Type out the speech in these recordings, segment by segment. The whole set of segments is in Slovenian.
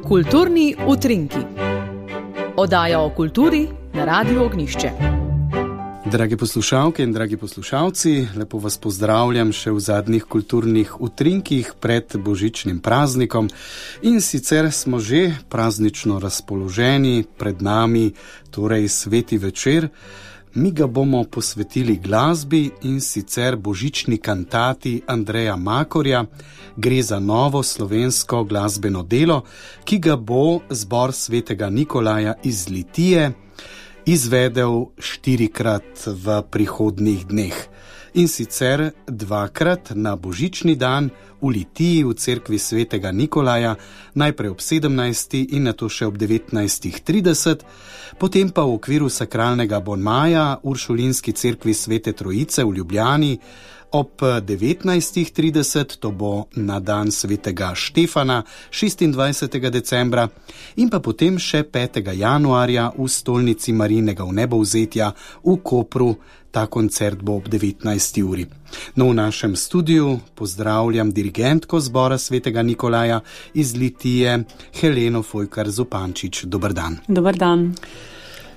Kulturni utrinki. Oddaja o kulturi na Radiu Ognjišče. Dragi poslušalke in dragi poslušalci, lepo vas pozdravljam še v zadnjih kulturnih utrinkih pred božičnim praznikom. In sicer smo že praznično razpoloženi, pred nami torej sveti večer. Mi ga bomo posvetili glasbi in sicer božični kantati Andreja Makorja. Gre za novo slovensko glasbeno delo, ki ga bo zbor svetega Nikolaja iz Litije izvedel 4-krat v prihodnjih dneh. In sicer 2-krat na božični dan v Litiji v cerkvi svetega Nikolaja, najprej ob 17. in nato še ob 19.30, potem pa v okviru sakralnega bonmaja v Uršulinski cerkvi svete Trojice v Ljubljani ob 19.30, to bo na dan svetega Štefana 26. decembra, in pa potem še 5. januarja v stolnici Marijinega vnebovzetja v Kopru. Ta koncert bo ob 19. uri. No, v našem studiu pozdravljam dirigentko zbora svetega Nikolaja iz Litije, Heleno Fojkar-Zupančič. Dober dan. Dober dan.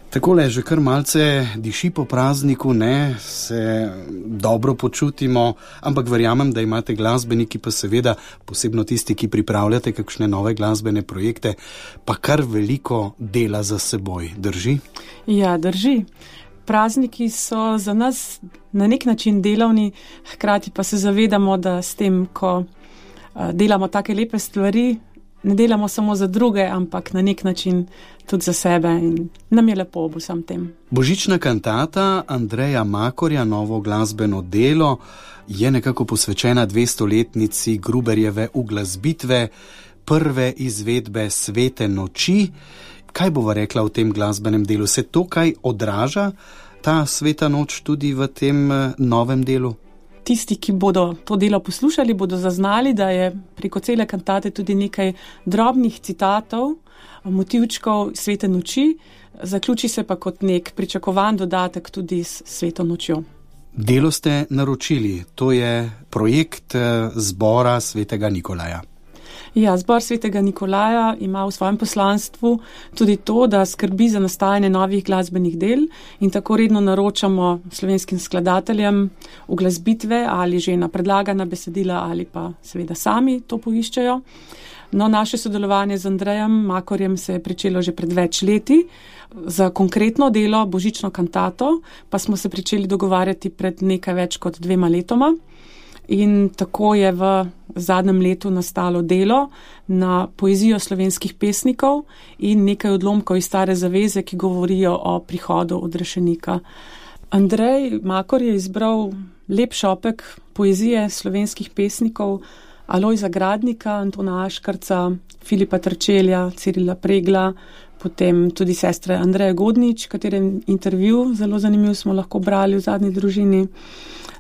Takole, že kar malce diši po prazniku, ne, se dobro počutimo, ampak verjamem, da imate glasbeniki, pa seveda posebno tisti, ki pripravljate kakšne nove glasbene projekte, pa kar veliko dela za seboj. Drži? Ja, drži. Prazniki so za nas na nek način delovni, hkrati pa se zavedamo, da s tem, ko delamo take lepe stvari, ne delamo samo za druge, ampak na nek način tudi za sebe in nam je lepo ob vsem tem. Božična kantata Andreja Makorja, novo glasbeno delo, je nekako posvečena 200-letnici Gruberjeve uglasbitve, prve izvedbe Svete noči. Kaj bova rekla o tem glasbenem delu? Se to kaj odraža, ta sveta noč, tudi v tem novem delu? Tisti, ki bodo to delo poslušali, bodo zaznali, da je preko cele kantate tudi nekaj drobnih citatov, motivčkov Svete noči, zaključi se pa kot nek pričakovan dodatek tudi s Sveto nočjo. Delo ste naročili, to je projekt zbora svetega Nikolaja. Ja, zbor svetega Nikolaja ima v svojem poslanstvu tudi to, da skrbi za nastajanje novih glasbenih del in tako redno naročamo slovenskim skladateljem uglasbitve ali že na predlagana besedila ali pa seveda sami to poiščejo. No, naše sodelovanje z Andrejem Makorjem se je pričelo že pred več leti. Za konkretno delo, božično kantato, pa smo se pričeli dogovarjati pred nekaj več kot 2 letoma. In tako je v zadnjem letu nastalo delo na poezijo slovenskih pesnikov in nekaj odlomkov iz Stare zaveze, ki govorijo o prihodu odrešenika. Andrej Makor je izbral lep šopek poezije slovenskih pesnikov Alojza Gradnika, Antona Aškarca, Filipa Trčelja, Cirila Pregla, potem tudi sestre Andreje Godnič, katerem intervju zelo zanimiv smo lahko brali v Zadnji družini.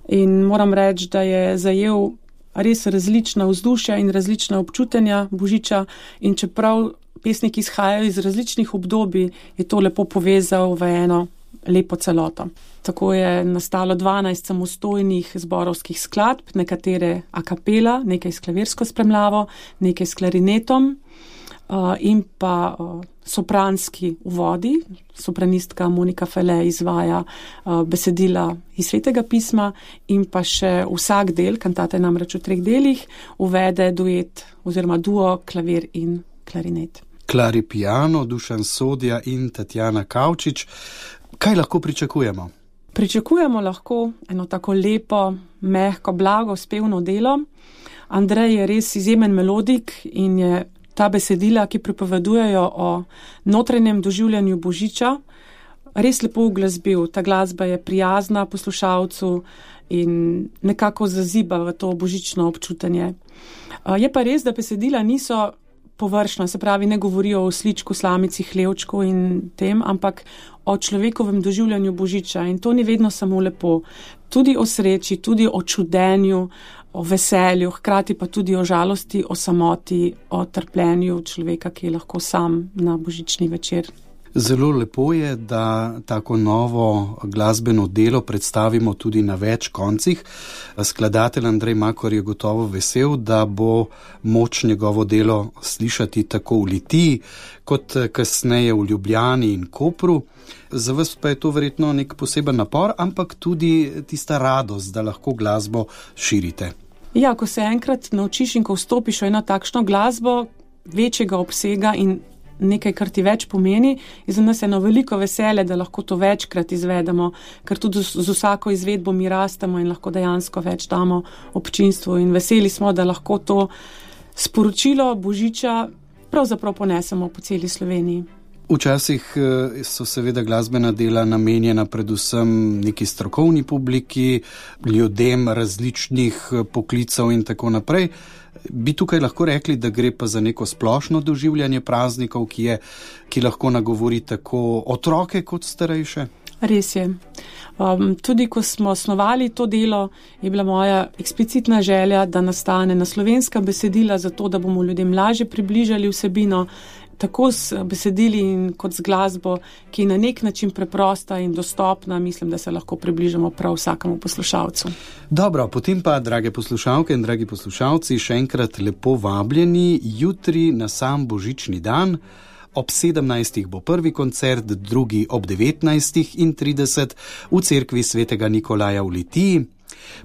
In moram reči, da je zajel res različna vzdušja in različna občutenja božiča in čeprav pesniki izhajajo iz različnih obdobij, je to lepo povezal v eno lepo celoto. Tako je nastalo 12 samostojnih zborovskih skladb, nekatere a capella, nekaj s klavirsko spremljavo, nekaj s klarinetom in pa sopranski uvodi. Sopranistka Monika Fele izvaja besedila iz Svetega pisma in pa še vsak del, kantata je namreč v 3 delih, uvede duet oziroma duo klavir in klarinet. Klari piano, Dušan Sodja in Tatjana Kavčič. Kaj lahko pričakujemo? Pričakujemo lahko eno tako lepo, mehko, blago, spevno delo. Andrej je res izjemen melodik in je ta besedila, ki pripovedujejo o notranjem doživljanju božiča, res lepo uglasbil. Ta glasba je prijazna poslušalcu in nekako zaziba v to božično občutenje. Je pa res, da besedila niso površna, se pravi, ne govorijo o sličku, slamici, hlevčku in tem, ampak o človekovem doživljanju božiča in to ni vedno samo lepo. Tudi o sreči, tudi o čudenju, o veselju, hkrati pa tudi o žalosti, o samoti, o trpljenju človeka, ki je lahko sam na božični večer. Zelo lepo je, da tako novo glasbeno delo predstavimo tudi na več koncih. Skladatelj Andrej Makor je gotovo vesel, da bo moč njegovo delo slišati tako v Litiji, kot kasneje v Ljubljani in Kopru. Za vas pa je to verjetno nek poseben napor, ampak tudi tista radost, da lahko glasbo širite. Ja, ko se enkrat naučiš in ko vstopiš v eno takšno glasbo večjega obsega in nekaj, kar ti več pomeni, je za nas eno veliko veselje, da lahko to večkrat izvedemo, ker tudi z vsako izvedbo mi rastemo in lahko dejansko več damo občinstvu in veseli smo, da lahko to sporočilo Božiča pravzaprav ponesemo po celi Sloveniji. Včasih so seveda glasbena dela namenjena predvsem neki strokovni publiki, ljudem različnih poklicev in tako naprej. Bi tukaj lahko rekli, da gre pa za neko splošno doživljanje praznikov, ki lahko nagovori tako otroke kot starejše? Res je. Tudi ko smo osnovali to delo, je bila moja eksplicitna želja, da nastane na slovenska besedila, zato da bomo ljudem lažje približali vsebino, tako s besedili in kot z glasbo, ki je na nek način preprosta in dostopna, mislim, da se lahko približamo prav vsakemu poslušalcu. Dobro, potem pa, drage poslušalke in dragi poslušalci, še enkrat lepo vabljeni jutri na sam božični dan. Ob 17. bo prvi koncert, drugi ob 19:30 v cerkvi svetega Nikolaja v Litiji.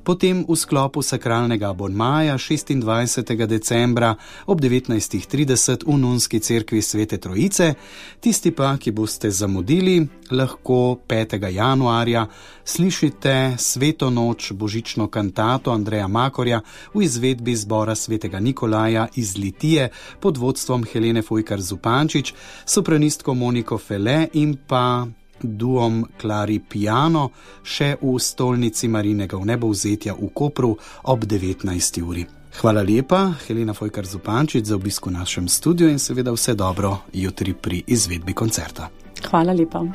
Potem v sklopu sakralnega abonmaja 26. decembra ob 19:30 v nunski cerkvi Svete Trojice. Tisti pa, ki boste zamudili, lahko 5. januarja slišite Sveto noč božično kantato Andreja Makorja v izvedbi zbora svetega Nikolaja iz Litije pod vodstvom Helene Fojkar Zupančič, sopranistko Moniko Fele in pa duom Klari Piano še v stolnici Marinega vnebovzetja v Kopru ob 19. uri. Hvala lepa, Helena Fojkar Zupančič, za obisk v našem studiu in seveda vse dobro jutri pri izvedbi koncerta. Hvala lepa.